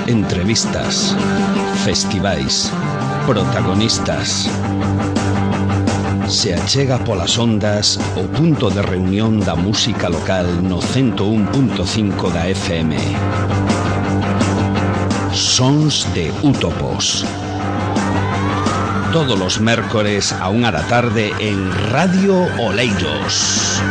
entrevistas, festivais, protagonistas. Se achega polas ondas o punto de reunión da música local no 101.5 da FM. Sons de Útopos. Todos los mércores a 1 da tarde en Radio Oleiros.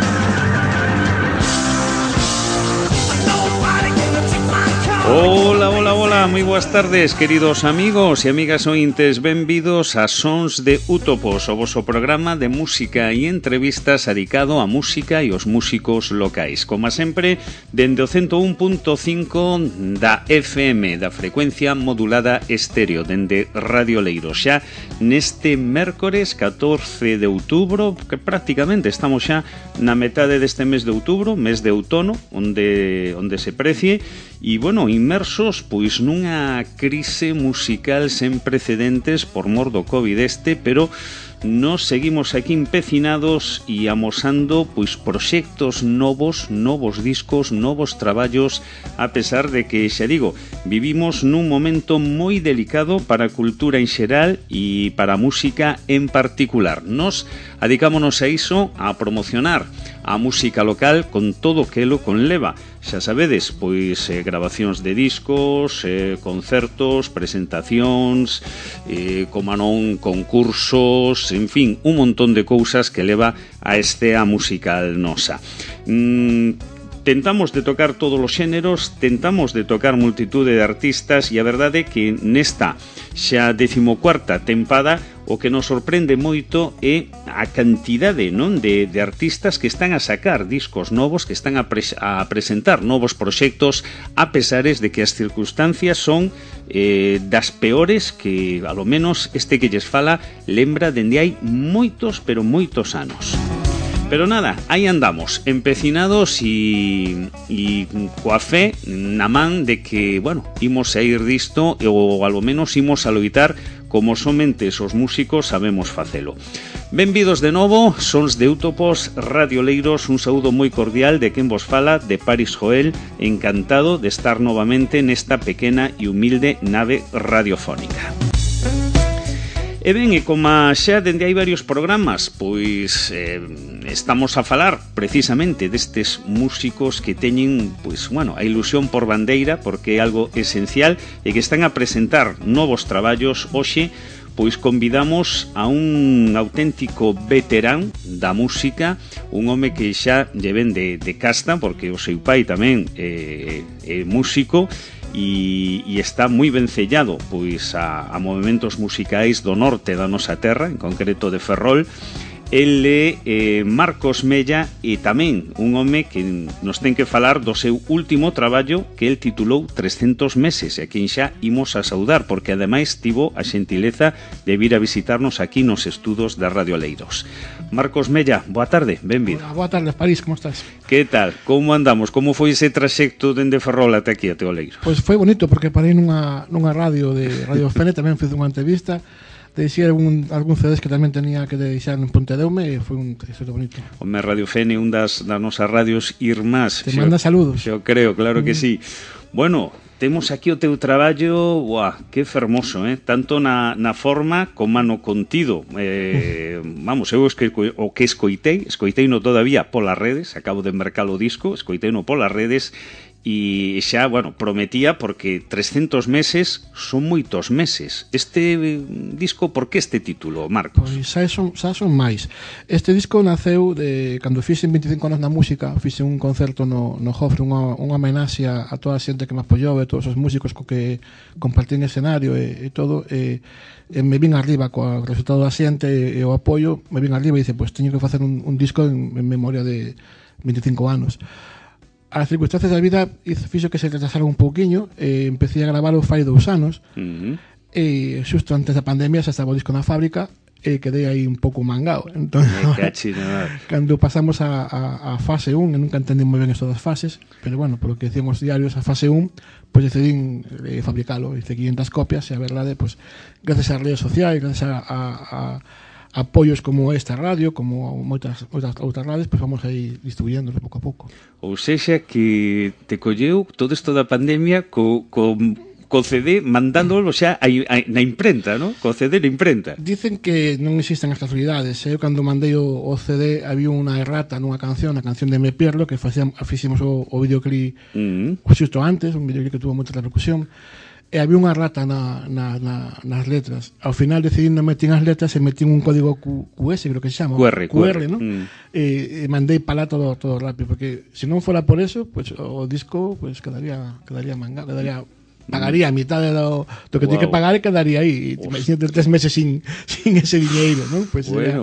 Hola, hola, hola, moi boas tardes, queridos amigos e amigas ointes, benvidos a Sons de Útopos, o voso programa de música e entrevistas dedicado a música e os músicos locais. Como sempre, dende o 101.5 da FM, da frecuencia modulada estéreo, dende Radio Oleiros. Xa neste mércores 14 de outubro, que prácticamente estamos xa na metade deste mes de outubro, mes de outono, onde se precie. E, bueno, inmersos, pois, nunha crise musical sen precedentes por mor do COVID pero nos seguimos aquí empecinados e amosando, pois, proxectos novos discos, novos traballos, a pesar de que, xa digo, vivimos nun momento moi delicado para a cultura en xeral e para a música en particular. Nos adicámonos a iso, a promocionar a música local con todo o que lo conleva. Xa sabedes, pois grabacións de discos, concertos, presentacións, como non, concursos, en fin, un montón de cousas que leva a estea musical nosa. Tentamos de tocar todos os xéneros, tentamos de tocar multitude de artistas e a verdade é que nesta xa 14ª tempada o que nos sorprende moito é a cantidade, non, de artistas que están a sacar discos novos, que están a presentar novos proxectos, a pesares de que as circunstancias son das peores que, a lo menos, este que lles fala lembra dende hai moitos, pero moitos anos. Pero nada, aí andamos, empecinados e coa fe na man de que, bueno, imos a ir disto ou ao menos imos a loitar como somente os músicos sabemos facelo. Benvidos de novo, Sons de Útopos, Radio Oleiros, un saúdo moi cordial de quen vos fala, de Paris Joel, encantado de estar novamente nesta pequena e humilde nave radiofónica. E ben, e como xa dende hai varios programas, pois estamos a falar precisamente destes músicos que teñen, pois, bueno, a ilusión por bandeira, porque é algo esencial, e que están a presentar novos traballos. Hoxe, pois convidamos a un auténtico veterán da música, un home que xa lle ven de casta, porque o seu pai tamén é músico, e está moi vencellado, pois, a movementos musicais do norte da nosa terra, en concreto de Ferrol. Ele é Marcos Mella e tamén un home que nos ten que falar do seu último traballo que el titulou 300 meses, e a quen xa imos a saudar, porque ademais tivo a xentileza de vir a visitarnos aquí nos estudos da Radio Oleiros. Marcos Mella, boa tarde, benvido. Boa tarde, París, como estás? Que tal? Como andamos? Como foi ese traxecto dende Ferrol até aquí, até Oleiros? Pois foi bonito, porque parei nunha radio de Radio Fene, tamén fiz unha entrevista, deixei algún CDs que tamén tenía que deixar en Pontedeume, e foi un traxecto bonito. Home, Radio Fene, un das nosas radios irmás. Te manda saludos. Yo creo, claro que sí. Bueno, temos aquí o teu traballo, que fermoso, tanto na forma como no contido. Vamos, eu o que escoitei no todavía polas redes, acabo de mercar o disco, escoitei no polas redes, e xa, bueno, prometía, porque 300 meses son moitos meses. Este disco, por que este título, Marcos? Pois xa son máis. Este disco naceu cando fixen 25 anos na música, fixen un concerto no Jofre, unha homenaxe a toda a xente que me apoiou, e todos os músicos co que compartín escenario e todo, e me vin arriba co resultado da xente e o apoio, me vin arriba e dice, pois teño que facer un disco en memoria de 25 anos. As circunstancias da vida fixo que se retrasara un pouquiño, e empecé a gravar fai 2 anos, e xusto antes da pandemia xa estaba o disco na fábrica, e quedei aí un pouco mangao. Entón, cando pasamos a fase 1, nunca entendí moi ben isto das fases, pero bueno, polo que decían os diarios, a fase 1, pois decidín fabricalo, hice 500 copias, e a verdade, pois, gracias ás redes sociais, gracias a apoios como esta radio, como moitas outras radios, pois vamos aí distribuyéndolo pouco a pouco. Ou sexa que te colleu todo isto da pandemia co co CD mandándolo xa na imprenta, ¿no? Co CD na imprenta. Dicen que non existen as casualidades. Eu cando mandei o CD había unha errata nunha canción, a canción de Me Pierdo, que fixemos o videoclip xusto antes, un videoclip que tuvo moita repercusión, e había unha errata nas letras. Ao final decidí non meter as letras e metí un código QS, creo que se chama. QR, ¿no? E mandei para lá todo rápido, porque se non fora por eso, pues, o disco pues, quedaría mangado, pagaría a mitad do que tiene que pagar e quedaría aí. Imagínate 3 meses sin ese dinheiro, ¿no? Pues bueno.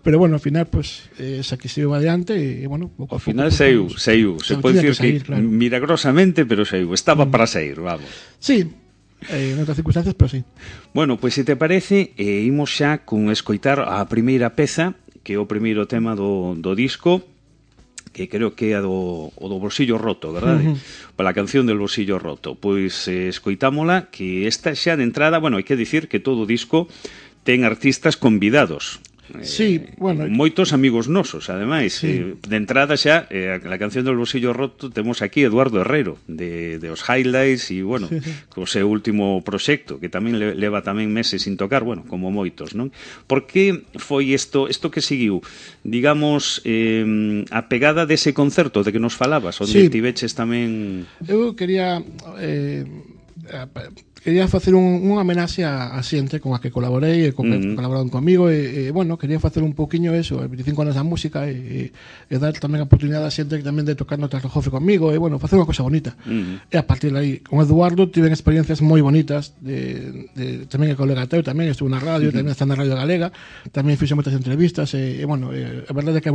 Pero bueno, ao final, pues, se sigo adiante e, bueno, ao final saiu. Se pode dicir que milagrosamente, pero saiu. Estaba para sair, vamos. Sí, en outras circunstancias, pero sí. Bueno, pois se te parece, imos xa con escoitar a primeira peza, que é o primeiro tema do disco, que creo que é o do Bolsillo Roto, verdade? Para a canción del Bolsillo Roto. Pois escoitámola, que esta xa de entrada, bueno, hai que dicir que todo o disco ten artistas convidados. Sí, bueno, moitos amigos nosos, ademais. Sí. De entrada xa, a canción del Bolsillo Roto, temos aquí Eduardo Herrero, de os Highlights, e, bueno, co seu último proxecto, que tamén leva tamén meses sin tocar, bueno, como moitos, non? Por que foi isto que seguiu, digamos, a pegada dese concerto de que nos falabas, onde tiveches tamén... Eu quería facer unha homenaxe a xente con a que colaborei e con que colaboraron comigo e bueno, quería facer un pouquiño eso, 25 anos da música e dar tamén a oportunidade a xente que tamén de tocar no Teatro Jofre comigo e bueno, facer unha cosa bonita. E a partir de aí, con Eduardo tiven experiencias moi bonitas tamén el colega teu, tamén estuvo na radio, tamén está na Radio Galega, tamén fixe moitas entrevistas e bueno, a verdade é que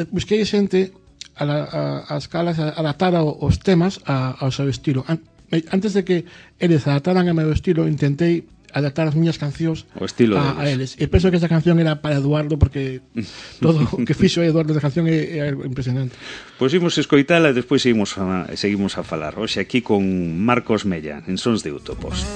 busquei xente a escalas adaptar os temas ao seu estilo. Antes de que eles adaptaran a meu estilo, intentei adaptar as miñas cancións a eles. E penso que esta canción era para Eduardo, porque todo o que fixo Eduardo da canción é impresionante. Pois imos escoitala e despois seguimos a falar. Hoxe aquí con Marcos Mella, en Sons de Utopos.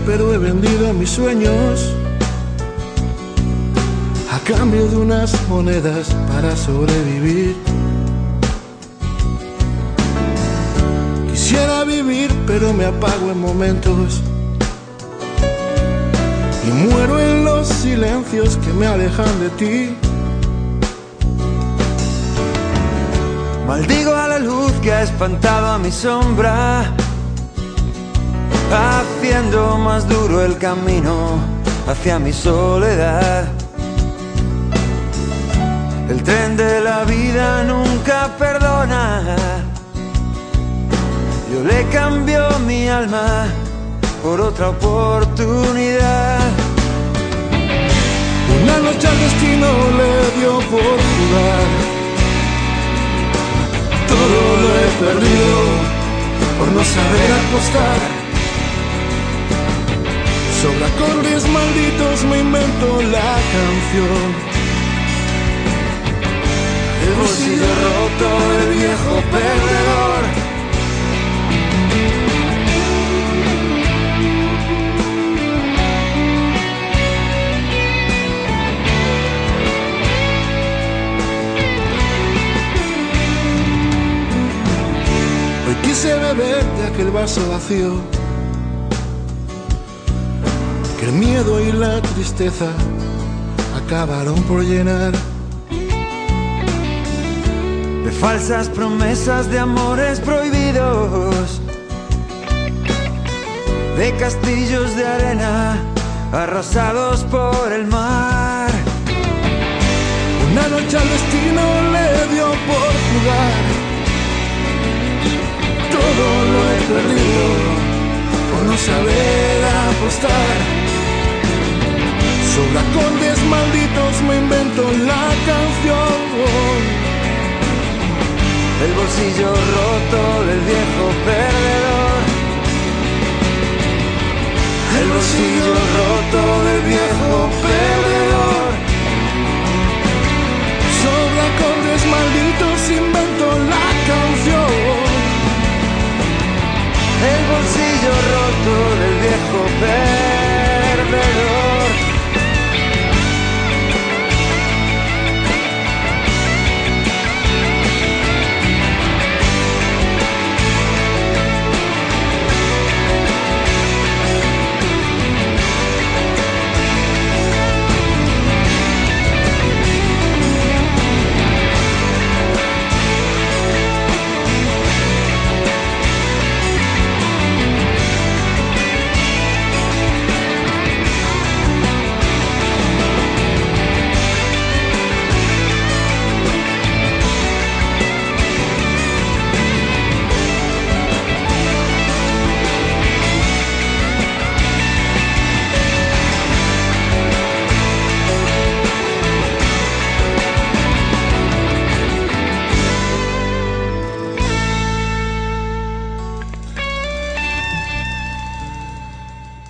Pero he vendido mis sueños a cambio de unas monedas para sobrevivir. Quisiera vivir, pero me apago en momentos y muero en los silencios que me alejan de ti. Maldigo a la luz que ha espantado a mi sombra, haciendo más duro el camino hacia mi soledad. El tren de la vida nunca perdona. Yo le cambio mi alma por otra oportunidad. Una noche al destino le dio por jugar. Todo lo he perdido por no saber apostar. Sobre acordes malditos me invento la canción. El bolsillo roto, el viejo perdedor. Hoy quise beber de aquel vaso vacío, el miedo y la tristeza acabaron por llenar. De falsas promesas de amores prohibidos, de castillos de arena arrasados por el mar. Una noche al destino le dio por jugar. Todo lo he perdido por no saber apostar. Sobre acordes malditos me invento la canción. El bolsillo roto del viejo perdedor. bolsillo roto del viejo perdedor. Sobre acordes malditos invento la canción. El bolsillo roto del viejo perdedor.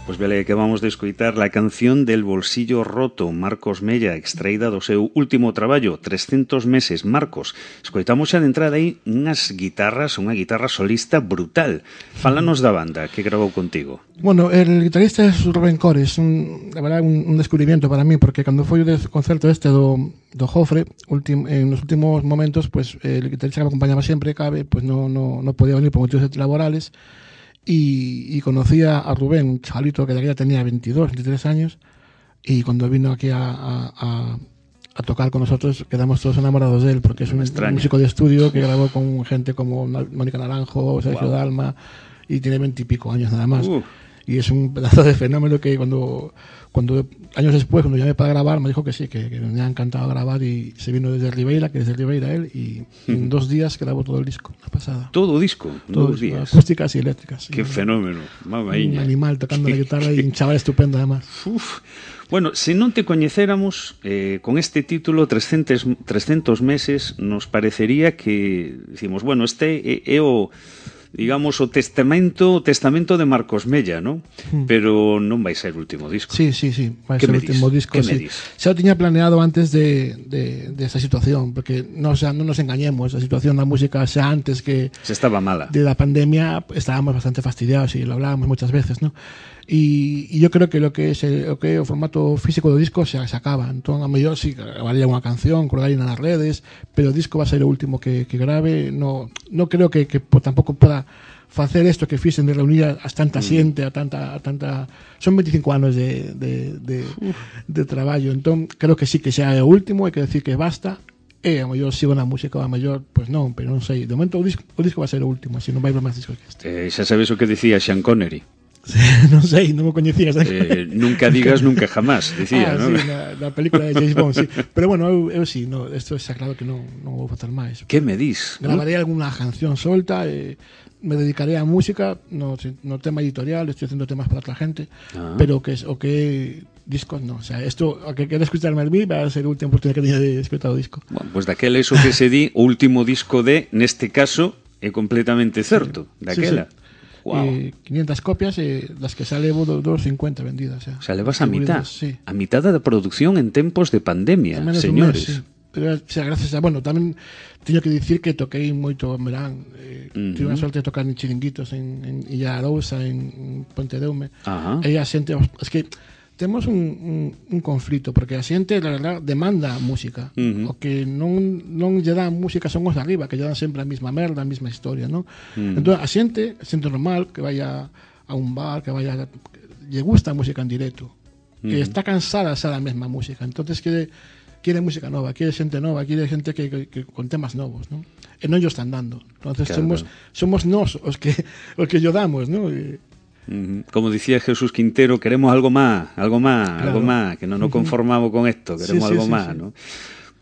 Pois vele que vamos de escoitar la canción del bolsillo roto, Marcos Mella, extraída do seu último traballo, 300 meses. Marcos, escoitamos xa de entrada aí unhas guitarras, unha guitarra solista brutal. Fálanos da banda que grabou contigo. Bueno, el guitarrista é Rubén Cores, la verdad un descubrimiento para mí, porque cando foi o concerto este do Jofre, en los últimos momentos, pues el guitarrista que me acompañaba siempre, Cabe, pues no podía venir por motivos laborales. Y conocí a Rubén, un chavalito que de aquella tenía 22, 23 años, y cuando vino aquí a tocar con nosotros quedamos todos enamorados de él, porque es un músico de estudio que grabó con gente como Mónica Naranjo, Sergio Dalma, y tiene 20 y pico años nada más. Y es un pedazo de fenómeno que cuando años después, cuando llamé para grabar, me dijo que sí, que me ha encantado grabar, y se vino desde Ribeira, que desde Ribeira él, y en 2 días grabó todo el disco, la pasada. Todo disco, en 2 días. Acústicas y eléctricas. Qué fenómeno, mamaíña. Un animal tocando la guitarra y un chaval estupendo además. Bueno, se non te coñecéramos con este título 300 meses, nos parecería que decimos, bueno, este é o digamos o testamento de Marcos Mella, ¿no? Pero non vai ser o último disco. Sí, vai ser o último disco. Sí. Xa o tiña planeado antes de esa situación, porque non nos engañemos, a situación da música xa antes que se estaba mala. De la pandemia estábamos bastante fastidiados, y lo hablábamos muchas veces, ¿no? Y yo creo que lo que es o formato físico do disco se acaba. Entón, a mellor sí grabaría unha canción, colgaría nas redes, pero o disco va a ser o último que grabe. No creo que tampouco poda facer isto que fixen de reunir a tanta xente, a tanta son 25 anos de traballo. Entón, creo que sí que xa é o último, hai que decir que basta. E a mellor sigo na música, a mellor, pois non, pero non sei. De momento o disco va a ser o último, así non vai haber máis discos que este. Xa sabes o que dicía Sean Connery. Sí, non sei, non me coñecías. Nunca digas nunca jamás, decía, ¿no? Sí, na película de James Bond, sí. Pero bueno, eu sí, isto está claro que non vou facer máis. Que me dis? Grabaré alguna canción solta, me dedicaré a música, no tema editorial, estoy haciendo temas para otra gente, pero o que discos no, o sea, esto, a que quede escucharme a mí, va a ser a última oportunidad que teña de escutar o disco. Bueno, pues daquela eso que se di, o último disco neste caso, é completamente certo, daquela. Sí. Wow. 500 copias, las que sale 250 vendidas. O sea, le vas a mitad. Sí. A mitad da producción en tempos de pandemia, señores. Mes, sí. Pero, o sea, gracias a... Bueno, tamén teño que dicir que toquei moito en verán. Tive a sorte de tocar en chiringuitos en Illa Arousa, en Pontedeume. E a xente... Es que temos un conflito, porque a xente, la verdad, demanda música. O que non lle dan música son os de arriba, que lle dan sempre a mesma merda, a mesma historia, non? Entón, a xente normal que vaya a un bar, que vaya... lle gusta a música en directo. Que está cansada xa da mesma música. Entonces quiere música nova, quiere xente nova, quiere xente que con temas novos, non? E non yo están dando. Entonces, claro, somos nós os que yo damos, non? Como dicía Jesús Quintero, queremos algo más, claro, algo más, que non nos conformamos con esto, queremos algo más, ¿no?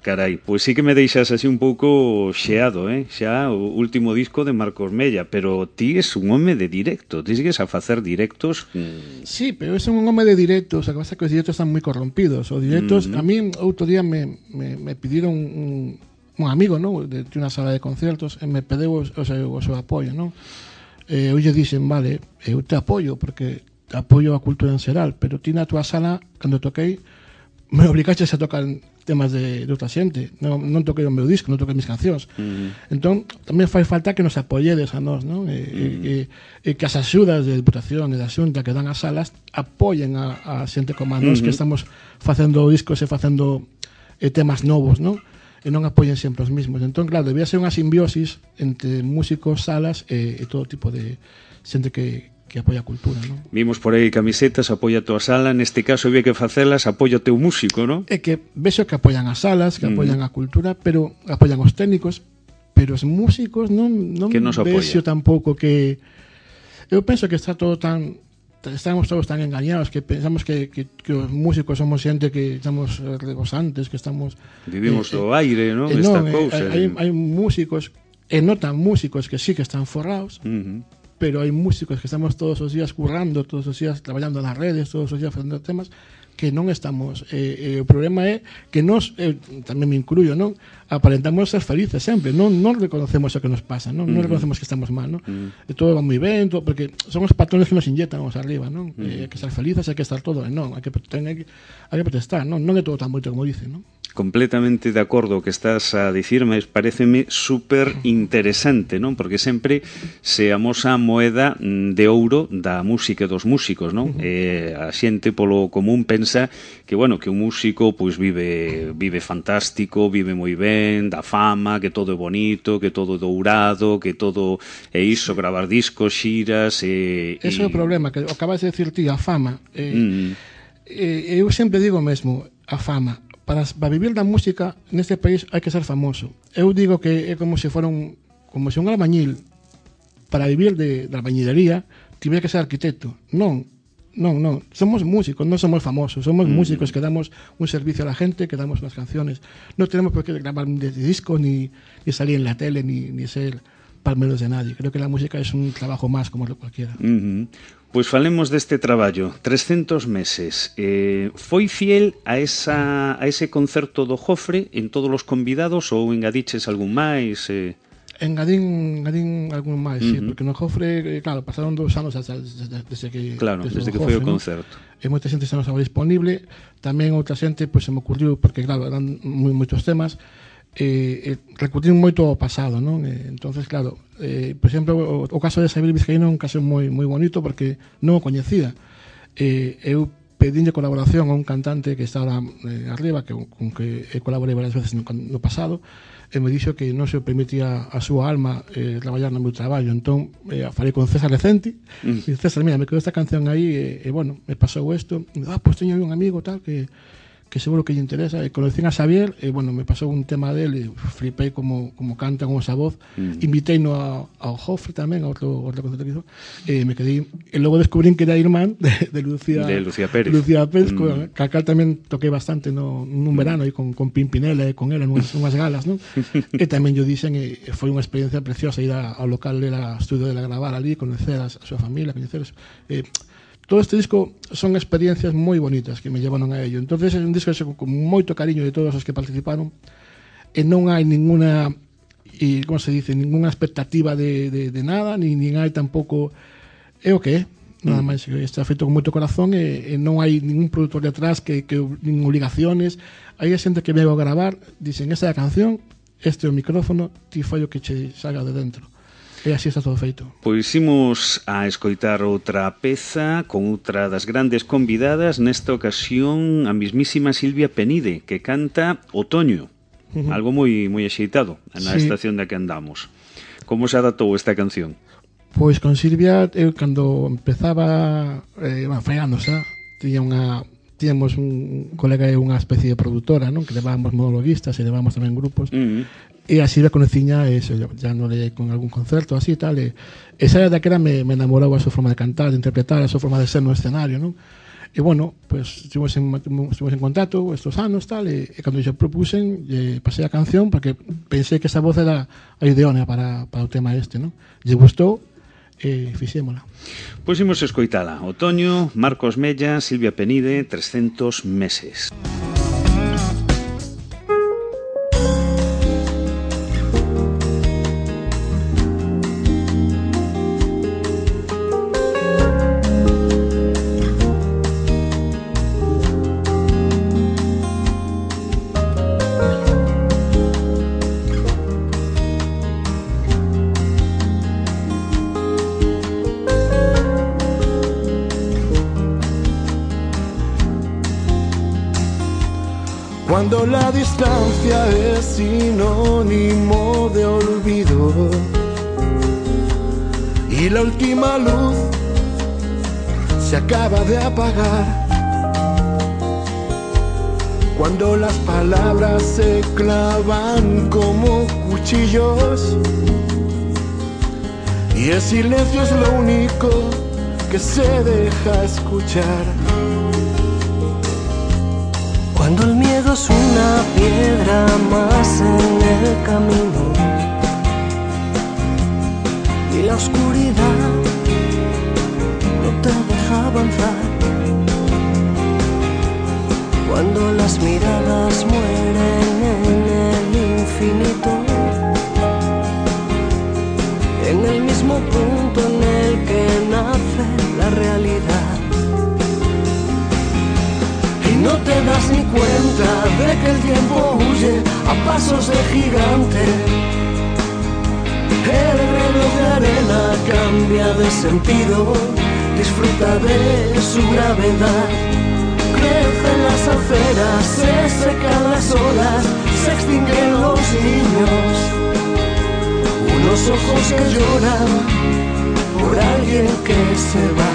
Carai, pois sí que me deixas así un pouco xeado, xa o último disco de Marcos Mella, pero ti es un home de directo, ti sigues a facer directos. Sí, pero é un home de directos, o que pasa é que os directos están moi corrompidos, os directos, a mí outro día me pidieron un amigo, ¿no?, de unha sala de concertos, e me pedeu o seu apoio, ¿no? Eu lle dixen, vale, eu te apoio, porque apoio a cultura en xeral, pero ti na túa sala, cando toquei, me obligaches a tocar temas de outra xente, non toquei o meu disco, non toquei mis cancións. Entón, tamén fai falta que nos apoyedes a nós, non? E que as axudas de Diputación e da Xunta que dan as salas apoyen a xente como a nós que estamos facendo discos e facendo temas novos, non? E non apoyen sempre os mismos. Entón, claro, debía ser unha simbiosis entre músicos, salas e todo tipo de xente que apoia a cultura, non? Vimos por aí camisetas, apoia a tua sala, neste caso había que facelas, apoia o teu músico, non? É que vexo que apoian as salas, que apoian a cultura, pero apoian os técnicos, pero os músicos non vexo tampouco que... Eu penso que está todo tan... Estamos todos tan engañados que pensamos que os músicos somos xente que estamos rebosantes, que estamos... Vivimos do aire, non? Esta cousa. Hai músicos, e notan músicos que sí que están forrados, pero hai músicos que estamos todos os días currando, todos os días traballando nas redes, todos os días facendo temas que non estamos. O problema é que nós, tamén me incluyo, non? Aparentamos ser felices sempre, non reconocemos o que nos pasa, non reconocemos que estamos mal, non? E todo va moi ben, porque son os patrones que nos inyectan os arriba, non? Hai que estar felices, hai que estar todo, non, hai que protestar, non é todo tan bonito como dicen, non? Completamente de acordo o que estás a dicir, mas pareceme super interesante, non? Porque sempre se amosa a moeda de ouro da música e dos músicos, non? A xente polo común pensa que, bueno, que un músico pois vive fantástico, vive moi ben, da fama, que todo é bonito, que todo é dourado, que todo é iso, gravar discos, xiras e... Ese é o problema, que acabas de decir ti, a fama. Eu sempre digo mesmo, a fama. Para vivir da música neste país hai que ser famoso. Eu digo que é como se un albañil para vivir da albañilería tiver que ser arquitecto. Non. Somos músicos, non somos famosos. Somos músicos que damos un servicio a la gente, que damos unas canciones. Non tenemos por qué gravar un disco, ni salir en la tele, ni ser palmeros de nadie. Creo que la música es un trabajo más como cualquiera. Pois falemos deste traballo, 300 meses. Foi fiel a ese concerto do Jofre en todos os convidados ou engadiches algún máis? Engadín algún máis, sí, porque no Jofre, claro, pasaron 2 anos desde que foi o concerto. E moita xente xa non estaba disponible, tamén outra xente, pois se me ocurriu, porque claro, eran moitos temas, recurrir moito ao pasado, non? Entonces, claro, por exemplo, o caso de Xavier Vizcaíno é un caso moi bonito porque non o coñecía. Eu pedinlle colaboración a un cantante que está arriba, con que colaborei varias veces no pasado, e me dixo que non se permitía a súa alma traballar no meu traballo. Entón, falei con César Lecenti, e César, mira, me quedou esta canción aí, e bueno, me pasou isto, e pues teño un amigo tal que seguro que lle interesa, e conocín a Xavier, e bueno, me pasou un tema dele, e flipei como canta con esa voz, inviteino ao Jofre tamén, a outro concerto que hizo, e me quedei, e logo descubrín que era irmán de Lucía Pérez, que acá tamén toquei bastante nun verano, e con Pimpinela e con ela, nunhas galas, non? E tamén yo dixen, e foi unha experiencia preciosa ir ao local dela, ao estudio dela, gravar ali, conocer a súa familia, coñeceros, todo este disco son experiencias moi bonitas que me llevaron a ello. Entonces é un disco con moito cariño de todos os que participaron, e non hai ninguna, como se dice, ninguna expectativa de nada, nin hai tampouco, é o que é, nada máis, que está feito con moito corazón, e non hai ningún produtor detrás que nin obligaciones. Hai xente que me va a gravar, dicen, esta é a canción, este é o micrófono, ti fai o que che salga de dentro. E así está todo feito. Pois imos a escoitar outra peza con outra das grandes convidadas, nesta ocasión a mismísima Silvia Penide, que canta Otoño, algo moi axeitado na estación da que andamos. Como se adaptou esta canción? Pois con Silvia, eu cando empezaba, fai anos xa, tiñamos un colega e unha especie de produtora, non? Que levábamos monologuistas e levábamos tamén grupos, e a Silvia conociña, eso, ya non le con algún concerto así tal, e esa daquela me enamorou a súa forma de cantar, de interpretar, a súa forma de ser no escenario, non? E bueno, pues estuvimos en contacto estos anos tal, e cando yo propusen, pasei a canción porque pensei que esa voz era a ideónea para o tema este, non? Lle gustou e fixémola. Pois imos escoitala. Otoño, Marcos Mella, Silvia Penide, 300 meses. Cuando la distancia es sinónimo de olvido y la última luz se acaba de apagar. Cuando las palabras se clavan como cuchillos y el silencio es lo único que se deja escuchar. Cuando el miedo es una piedra más en el camino y la oscuridad no te deja avanzar. Cuando las miradas mueren en el infinito, en el mismo punto en el que nace la realidad, y no te das ni cuenta de que el tiempo huye a pasos de gigante. El reloj de arena cambia de sentido, disfruta de su gravedad. Crecen las aceras, se secan las olas, se extinguen los niños. Unos ojos que lloran por alguien que se va.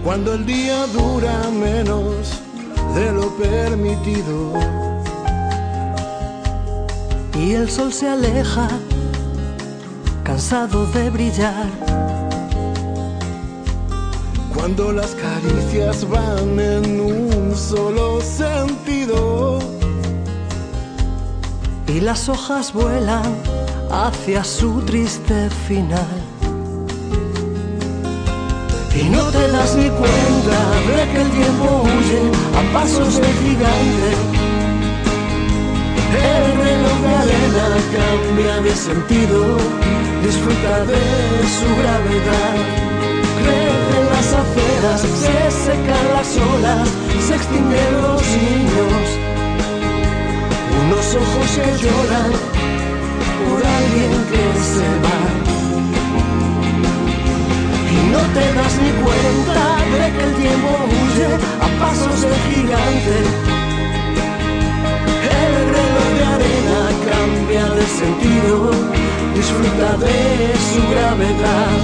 Cuando el día dura menos de lo permitido y el sol se aleja, cansado de brillar. Cuando las caricias van en un solo sentido y las hojas vuelan hacia su triste final. Y no te das ni cuenta de que el tiempo huye a pasos de gigante. El reloj de arena cambia de sentido, disfruta de su gravedad. Crecen las aceras, se secan las olas, se extinguen los niños. Unos ojos que lloran por alguien que se va. Y no te das ni cuenta de que el tiempo huye a pasos de gigante. El reloj de arena cambia de sentido, disfruta de su gravedad.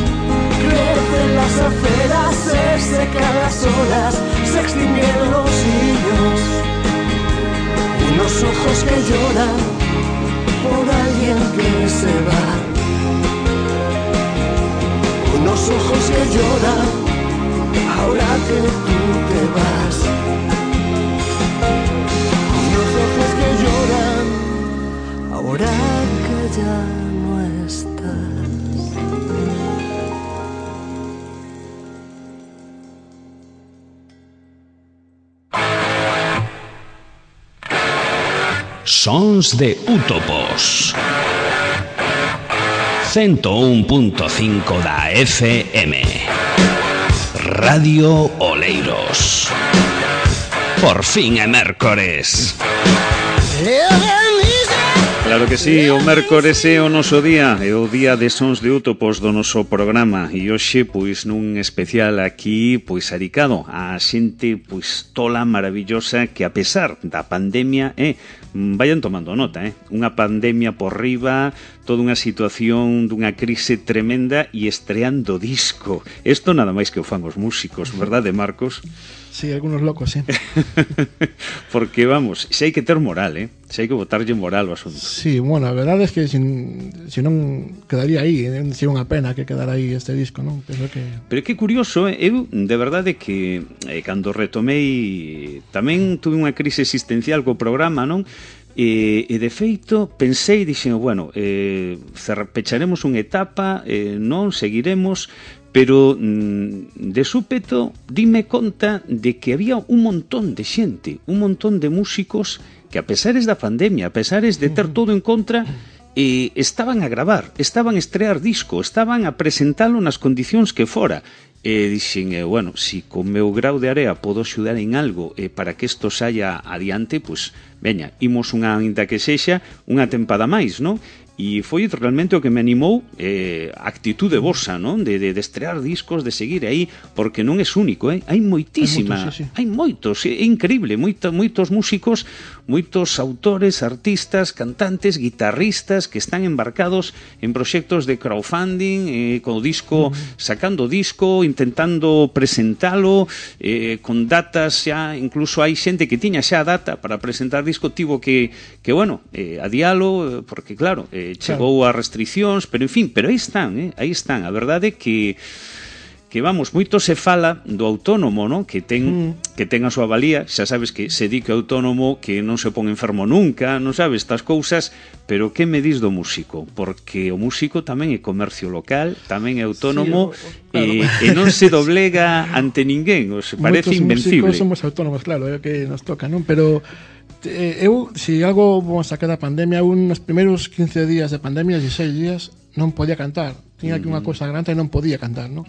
Crecen las aceras, se secan las olas, se extinguen los niños. Unos ojos que lloran por alguien que se va. Unos ojos que lloran ahora que tú te vas. Unos ojos que lloran ahora que ya no estás. Sons de Útopos 101.5 da FM Radio Oleiros. Por fin é mércores. Claro que sí, o mércores é o noso día, é o día de Sons de Útopos do noso programa, e hoxe, pois, nun especial aquí, pois, adicado a xente, pois, tola maravillosa que a pesar da pandemia, vayan tomando nota, unha pandemia por riba, toda unha situación dunha crise tremenda e estreando disco. Isto nada máis que o fan os músicos, verdade, Marcos? Sí, algunos locos, sí. Porque, vamos, se hai que ter moral, se hai que botarlle moral ao asunto. Sí, bueno, a verdade é que se non quedaría aí, sería unha pena que quedara aí este disco, non? Penso que... Pero que curioso, eu de verdade que cando retomei tamén tuve unha crise existencial co programa, non? E de feito pensei, dixen, bueno, pecharemos unha etapa, non seguiremos, pero de súpeto dime conta de que había un montón de xente, un montón de músicos que a pesares da pandemia, a pesares de ter todo en contra, estaban a gravar, estaban a estrear disco, estaban a presentalo nas condicións que fora. Dixen, bueno, si con meu grau de area podo axudar en algo para que isto saia adiante, pois, veña, imos unha, ainda que sexa, unha tempada máis, non? E foi realmente o que me animou a actitude vosa, non? De estrear discos, de seguir aí, porque non é único, hai moitísima, hai moitos, é increíble, moitos músicos, moitos autores, artistas, cantantes, guitarristas que están embarcados en proxectos de crowdfunding, co disco, sacando disco, intentando presentalo, con datas xa, incluso hai xente que tiña xa data para presentar disco, tivo que bueno, adialo, porque claro, chegou a restriccións, pero en fin, pero aí están, a verdade que vamos, moito se fala do autónomo, non? Que ten a súa valía, xa sabes que se di que o autónomo que non se pon enfermo nunca, non sabes estas cousas, pero que me dis do músico? Porque o músico tamén é comercio local, tamén é autónomo, sí, claro. E non se doblega ante ninguén, os parece invencible. Moitos músicos somos autónomos, claro, é o que nos toca, non? Pero eu, se algo vamos a sacar da pandemia, nos primeiros 15 días de pandemia, 16 días, non podía cantar. Tiña aquí unha cousa grande e non podía cantar, non?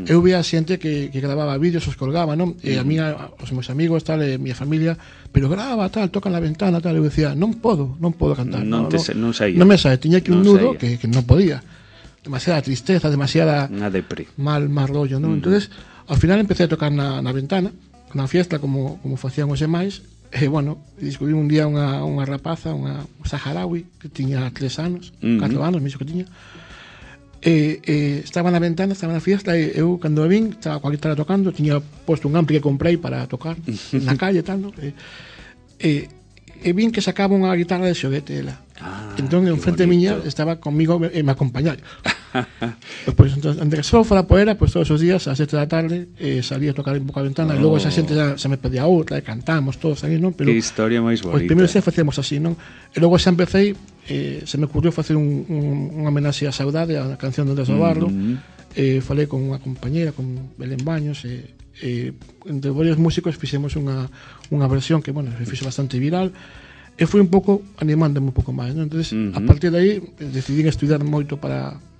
Eu vía xente que grababa vídeos, os colgaba, non? E a mí, os meus amigos, tal, e a miña familia, pero graba, tal, toca na ventana, tal, eu decía, non podo cantar. Non saía. Non me saía, tiña aquí un nudo que non podía. Demasiada tristeza, demasiada mal rollo, non? Entonces, ao final empecé a tocar na ventana, na fiesta, como facían os demais. E, bueno, descubrí un día unha rapaza, unha saharaui, que tiña 3 anos, 4 anos, mesmo que tiña. Estaba na ventana, estaba na fiesta, e eu, cando a vin, estaba coa guitarra tocando, tiña posto un ampli que comprei para tocar na calle, tal, no? E vin que sacaba unha guitarra de xoguete, ela. Entón, en frente miña, estaba comigo e me acompañaba. Pois, entón, antes que só fora poera, pois todos os días, ás 7 da tarde, salía a tocar un pouco a ventana, e logo esa xente se me pedía outra, e cantamos todos aí, non? Pero que historia máis bonita. Pois primeiro xa facíamos así, non? E logo xa empecé, se me ocurriu facer unha homenaxe a Saudade, a canción do Andrés Navarro, falei con unha compañera, con Belén Baños, entre varios músicos fixemos unha versión que, bueno, se fixo bastante viral, e fui un pouco animándome un pouco máis, non? Entonces, a partir de aí, decidí estudiar moito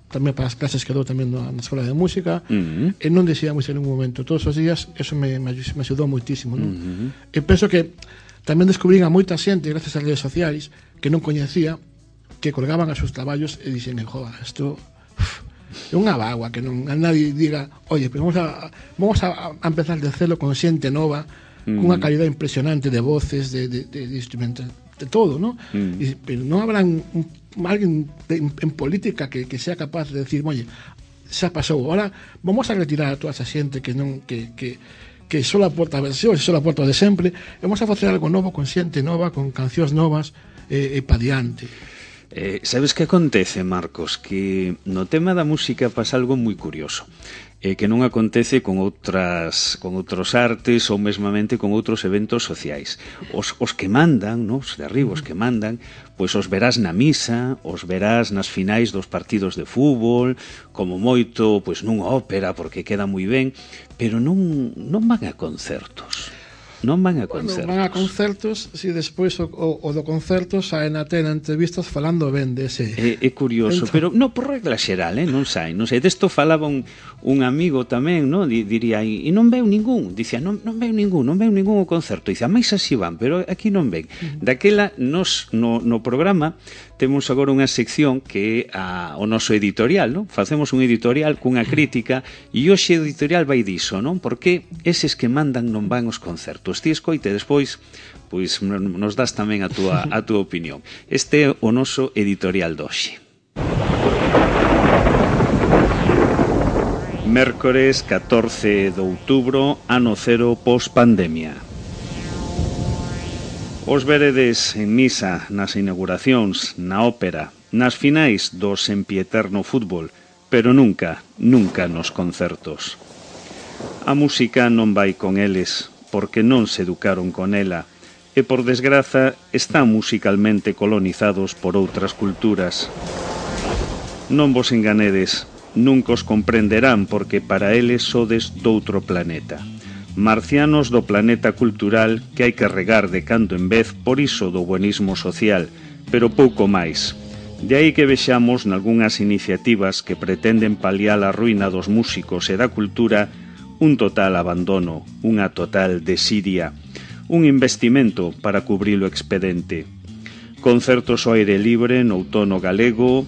tamén para as clases que dou tamén na escola de música, e non deixei a música en ningún momento. Todos os días, eso me axudou moitísimo, non? E penso que tamén descubrín a moita xente, gracias ás redes sociais, que non coñecía, que colgaban os seus traballos e dixen, joder, isto é unha bagua, que non a nadie diga, oye, pero vamos a empezar de celo con xente nova, cunha calidad impresionante de voces, de instrumentos, de todo, ¿no? Pero non habrá alguén en política que sea capaz de decir, oye, xa pasou, ahora vamos a retirar a toda esa xente que só aporta versións, só aporta de sempre, e vamos a facer algo novo con xente nova, con cancións novas, e pa diante. Sabes que acontece, Marcos? Que no tema da música pasa algo moi curioso, que non acontece con outros artes ou mesmamente con outros eventos sociais. Os que mandan, no? Os de arriba, os que mandan, pois os verás na misa, os verás nas finais dos partidos de fútbol, como moito, pois nunha ópera, porque queda moi ben, pero non van a concertos. Non van a concertos. Van a concertos, si despois o do concerto saen a ter entrevistas falando ben dese. É curioso, pero non por regla xeral, non sai. Desto falaba un amigo tamén, non? Diría, e non veu ningún. Dicía, non veu ningún o concerto. Dicía, máis así van, pero aquí non ven. Daquela, nos no programa temos agora unha sección que é o noso editorial, non? Facemos un editorial cunha crítica e hoxe o editorial vai diso, non? Porque eses que mandan non van aos concertos. Ti escoite despois, pois nos das tamén a túa opinión. Este é o noso editorial de hoxe. Mércores 14 de outubro, ano cero post-pandemia. Os veredes en misa, nas inauguracións, na ópera, nas finais do sempieterno fútbol, pero nunca nos concertos. A música non vai con eles, porque non se educaron con ela, e por desgraza están musicalmente colonizados por outras culturas. Non vos enganedes, nunca os comprenderán porque para eles sodes doutro planeta. Marcianos do planeta cultural que hai que regar de cando en vez por iso do buenismo social, pero pouco máis. De aí que vexamos nalgúnas iniciativas que pretenden paliar a ruína dos músicos e da cultura un total abandono, unha total desidia, un investimento para cubrir o expedente. Concertos ao aire libre no outono galego,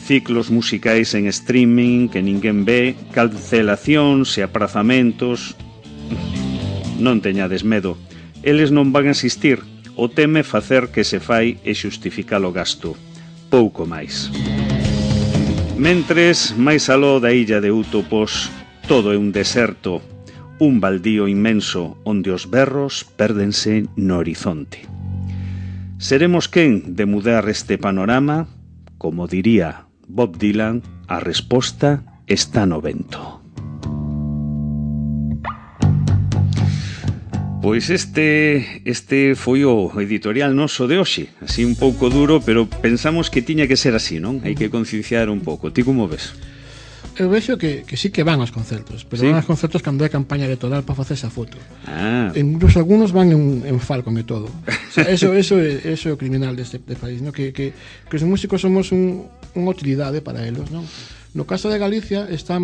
ciclos musicais en streaming que ninguén ve, cancelacións e aprazamentos. Non teñades medo, eles non van a asistir, o teme facer que se fai e xustificar o gasto, pouco máis. Mentres, máis aló da illa de Útopos, todo é un deserto, un baldío inmenso onde os berros pérdense no horizonte. Seremos quen de mudar este panorama? Como diría Bob Dylan, a resposta está no vento. Pois este foi o editorial noso de hoxe, así un pouco duro, pero pensamos que tiña que ser así, non? Hai que concienciar un pouco. Ti como ves? Eu vexo que sí que van aos concertos, pero ¿sí? Van aos concertos cando hai campaña electoral para facer esa foto. Incluso algunos van en Falcon e todo. O sea, eso é o criminal deste país, ¿no? Que os músicos somos unha utilidade para eles, non? No caso de Galicia está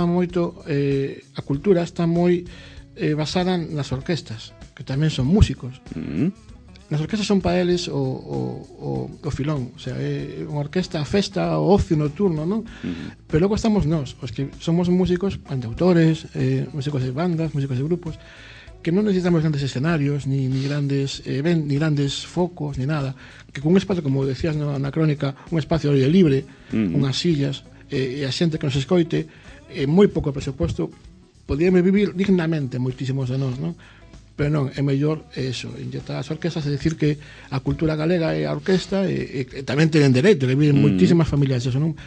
moito a cultura está moi basada nas orquestas, que tamén son músicos. Nas orquestas son para eles o filón, o sea, é unha orquesta, a festa, o ocio nocturno, non? Pero logo estamos nós, os que somos músicos, cantautores, músicos de bandas, músicos de grupos, que non necesitamos grandes escenarios, ni grandes focos, ni nada, que con un espacio, como decías na crónica, un espacio ao aire libre, unhas sillas, e a xente que nos escoite, moi pouco presuposto, podíamos vivir dignamente moitísimos de nós, non? Pero non, é mellor eso, inyectar as orquestas, é dicir que a cultura galega é a orquesta e tamén tenen dereito, que viven moitísimas familias eso, non?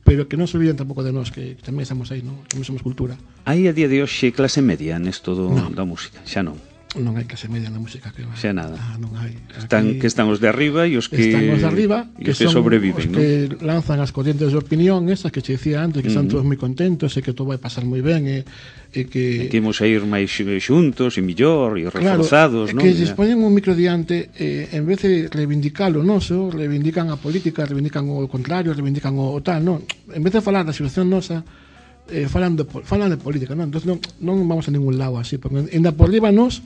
Pero que non se olviden tampouco de nós, que tamén estamos aí, non? Tamén somos cultura. Hai a día de hoxe clase media nesto da música, xa non? Non hai clase media na música, que xa nada. Non hai. Están os de arriba e os que están os de arriba, que sobreviven, os que lanzan as corrientes de opinión, esas que che decía antes, que están todos moi contentos e que todo vai pasar moi ben e que imos a ir máis xuntos e millor e reforzados, non? Que se poñen un micro diante en vez de reivindicar o noso, reivindican a política, reivindican o contrario, reivindican o tal, non? En vez de falar da situación nosa, falan de política, non? Entón non vamos a ningún lado así, porque ainda por riba nos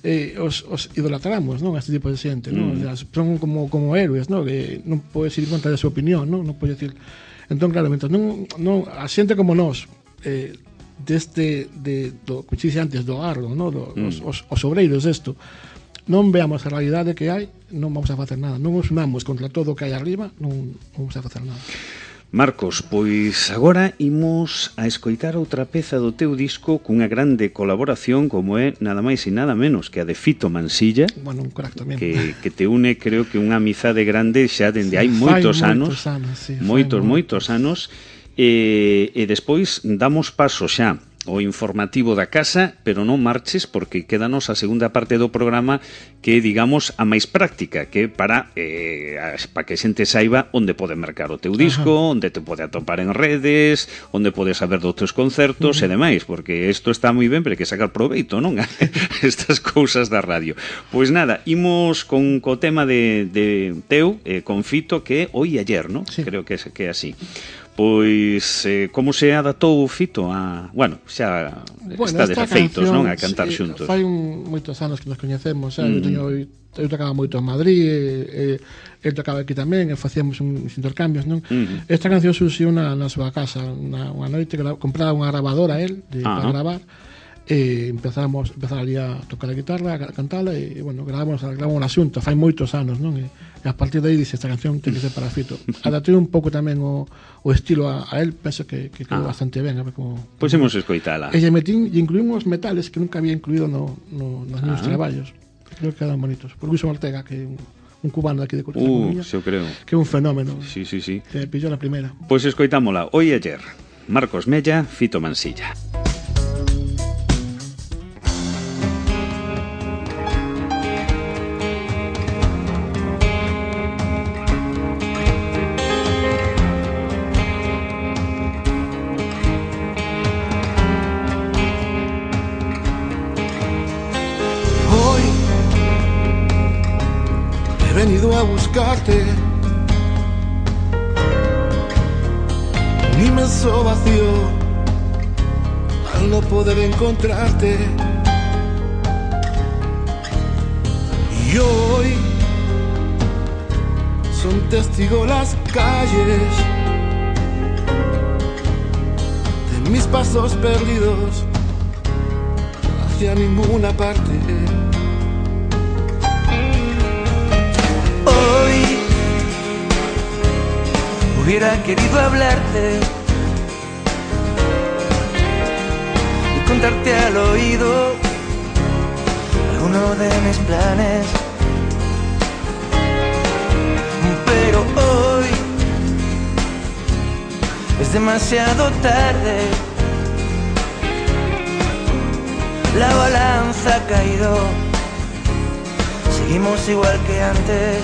os idolatramos, non? A este tipo de xente, non? O sea, son como héroes, non? Que non podes ir en contra da súa opinión, non? Non podes decir. Entón, claro, mentre non a xente como nós como dixi antes, do arlo, non? Os obreiros desto, non veamos a realidade que hai, non vamos a facer nada, non nos unamos contra todo o que hai arriba, non vamos a facer nada. Marcos, pois agora imos a escoitar outra peza do teu disco cunha grande colaboración como é nada máis e nada menos que a de Fito Mansilla. Bueno, un crack tamén. Que te une, creo que unha amizade grande xa dende hai moitos anos. Moitos anos. E despois damos paso xa o informativo da casa, pero non marches porque quédanos a segunda parte do programa que, digamos, a máis práctica, que para que a xente saiba onde pode mercar o teu disco, onde te pode atopar en redes, onde pode saber dos teus concertos e demais, porque isto está moi ben, pero hai que sacar proveito, non? Estas cousas da radio. Pois nada, imos con o tema de teu, con Fito, que é Hoy e Ayer, non? Sí. Creo que é así. Pois, como se adaptou Fito a... Bueno, xa está desafeitos, non? A cantar xuntos. Fai moitos anos que nos coñecemos, eu tocaba moito en Madrid, el tocaba aquí tamén, e facíamos uns intercambios, non? Esta canción surxiu na súa casa, unha noite que compraba unha grabadora el, para gravar, e empezamos ali a tocar a guitarra, a cantala, e, bueno, gravamos a xunta, fai moitos anos, non? E a partir de aí dice, esta canción ten que ser para Fito. Adaptei un pouco tamén o estilo a él, penso que quedou bastante ben. Pois imos escoitala. E incluímos metales que nunca había incluído nos meus traballos. Creo que quedan bonitos. Por Luis Ortega, que é un cubano aquí de Cultura, eu creo. Que é un fenómeno. Sí. Que pillou la primera. Pois escoitámola. Hoy e Ayer. Marcos Mella, Fito Mansilla. buscarte. Un inmenso vacío al no poder encontrarte. Y hoy son testigo las calles de mis pasos perdidos hacia ninguna parte. Hoy hubiera querido hablarte y contarte al oído alguno de mis planes, pero hoy es demasiado tarde. La balanza ha caído, seguimos igual que antes.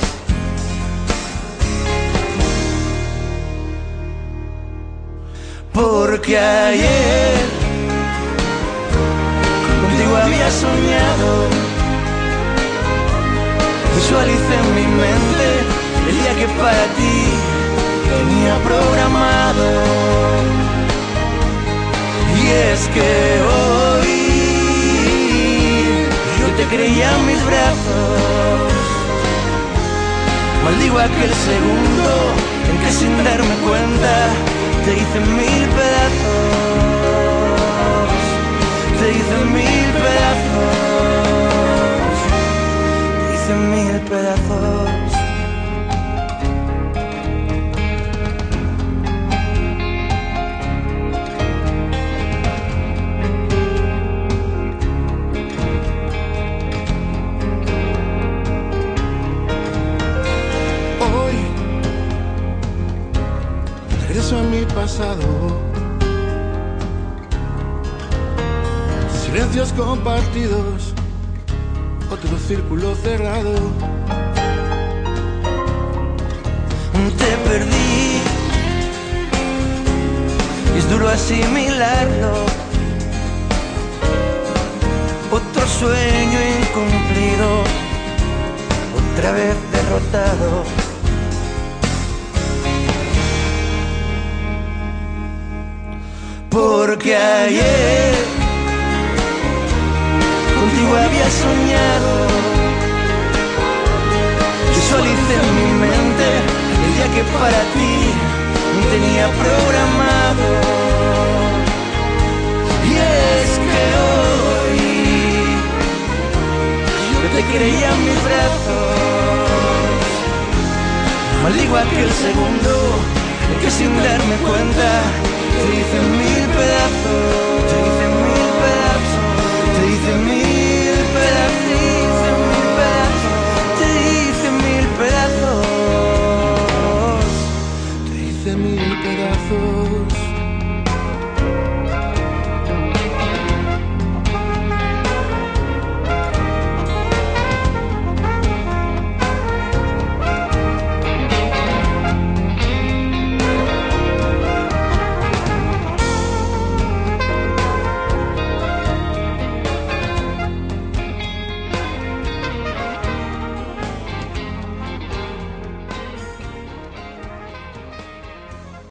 Porque ayer contigo había soñado, visualicé en mi mente el día que para ti tenía programado. Y es que hoy yo te creía en mis brazos, maldigo aquel segundo en que sin darme cuenta te hice mil pedazos, te hice mil pedazos, te hice mil pedazos. A mi pasado, silencios compartidos, otro círculo cerrado. Te perdí y es duro asimilarlo. Otro sueño incumplido, otra vez derrotado. Porque ayer contigo había soñado, visualicé en mi mente el día que para ti tenía programado. Y es que hoy yo te creía en mis brazos, maldigo aquel segundo en que sin darme cuenta te hice mil pedazos.